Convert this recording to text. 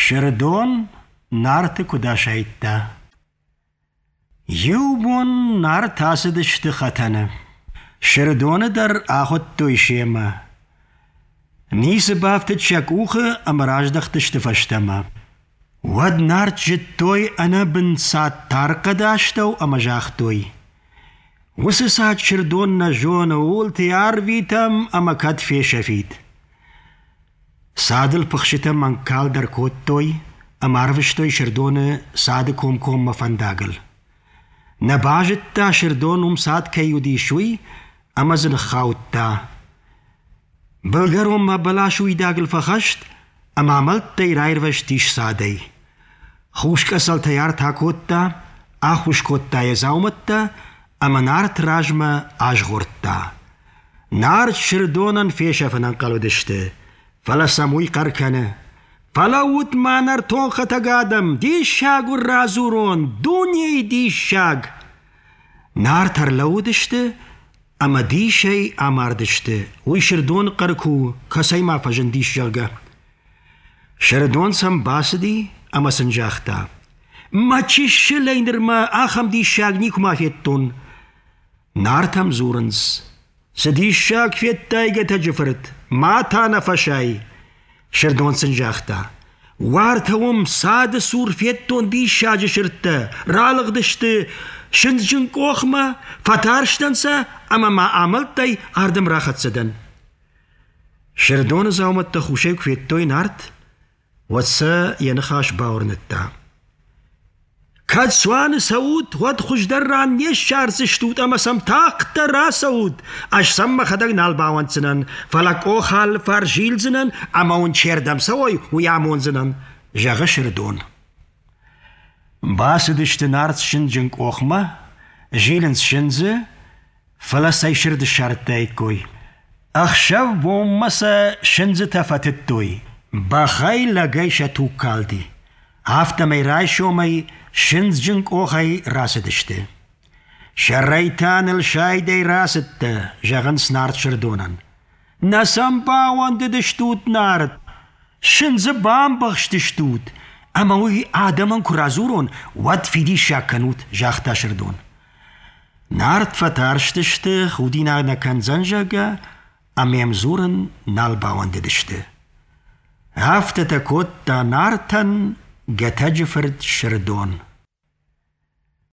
Сырдон Нарты куыд асайдта. Иу бон Нарт ацыдысты хӕтӕны. Сырдоны дӕр ахуыдтой семӕ. Ницы бафтыд сӕ къухы ӕмӕ раздӕхтысты фӕстӕмӕ. Уӕд Нарт зыдтой ӕнӕбын цад тархъӕды астӕу ӕмӕ загътой: Уыцы цад Сырдон нӕ зоны, ууылты арвитӕм ӕмӕ кӕд фесӕфид. Цадыл пыхсытӕ мӕнгкалд ӕркодтой ӕмӕ арвыстой Сырдоны цады комкоммӕ фӕндагыл. Нӕ базыдта Сырдон уым цад кӕй уыдис, уый, ӕмӕ дзы ныххаудта. Былгӕронмӕ бӕласы уидагыл фӕхӕст ӕмӕ амӕлттӕй раирвӕзтис цадӕй. Хус къӕцӕлтӕй арт акодта, ахус кодта йӕ дзаумӕттӕ ӕмӕ Нарт размӕ азгъордта. Нарт Сырдонӕн фесӕфын ӕнхъӕл уыдысты, фӕлӕ сӕм уый хъӕр кӕны: «Фӕлӕуут ма, нӕртон хӕтӕг адӕм, диссаг уын радзурон, дунейы диссаг!» Нарт ӕрлӕууыдысты ӕмӕ дисӕй амардысты, уый Сырдоны хъӕр куы у, кӕцӕй ма фӕзындис, зӕгъгӕ. Сырдон сӕм бацыди ӕмӕ сын загъта: «Мӕ чысылӕй нырмӕ ахӕм диссаг никуыма федтон!» Нартӕм дзурынц: «Цы диссаг федтай, Гӕтӕджы фырт, ма та нӕ фӕсай!» Сырдон сын загъта: «Уартӕ уым цады цур федтон диссаджы сырдтӕ, ралыгъдысты сындзджын къохмӕ, фӕтарстӕн сӕ ӕмӕ ма амӕлттӕй ардӕм рахӕццӕ дӕн». Сырдоны дзаумӕттӕ хусӕй куы федтой Нарт, уӕд сӕ йӕ ныхас бауырныдта. Кӕд цуаны цӕут, уӕд хуыздӕр ран не ссардзыстут ӕмӕ сӕм тагъддӕр рацӕут. Ӕз сӕм мӕхӕдӕг нал бауӕнддзынӕн, фӕлӕ къох алыфарс зилдзынӕн ӕмӕ уын чердӕм цӕуой, уый амондзынӕн, зӕгъы Сырдон. Бацыдысты Нарт сындзджын къохмӕ, зилынц сындзы, фӕлӕ цӕй сырд ссардтаиккой. Ӕхсӕв-бонмӕ сӕ сындзытӕ фӕтыдтой, бӕхӕй лӕгӕй сӕ туг калди. Афтӕмӕй райсомӕй сындзджын къохӕй рацыдысты. Сӕрӕй та ныл сайдӕй рацыдтӕ, зӕгъынц Нарт Сырдонӕн. Нӕ сӕм бауӕндыдыстут, Нарт, сындзы бамбӕхстыстут, ӕмӕ уый адӕмӕн куы радзурон, уӕд фидиссаг кӕнут, загъта Сырдон. Нарт фӕтарстысты, худинаг нӕ кӕндзӕн, зӕгъгӕ, ӕмӕ йӕм дзурын нал бауӕндыдысты. Афтӕтӕ кодта Нартӕн Гӕтӕджы фырт Сырдон.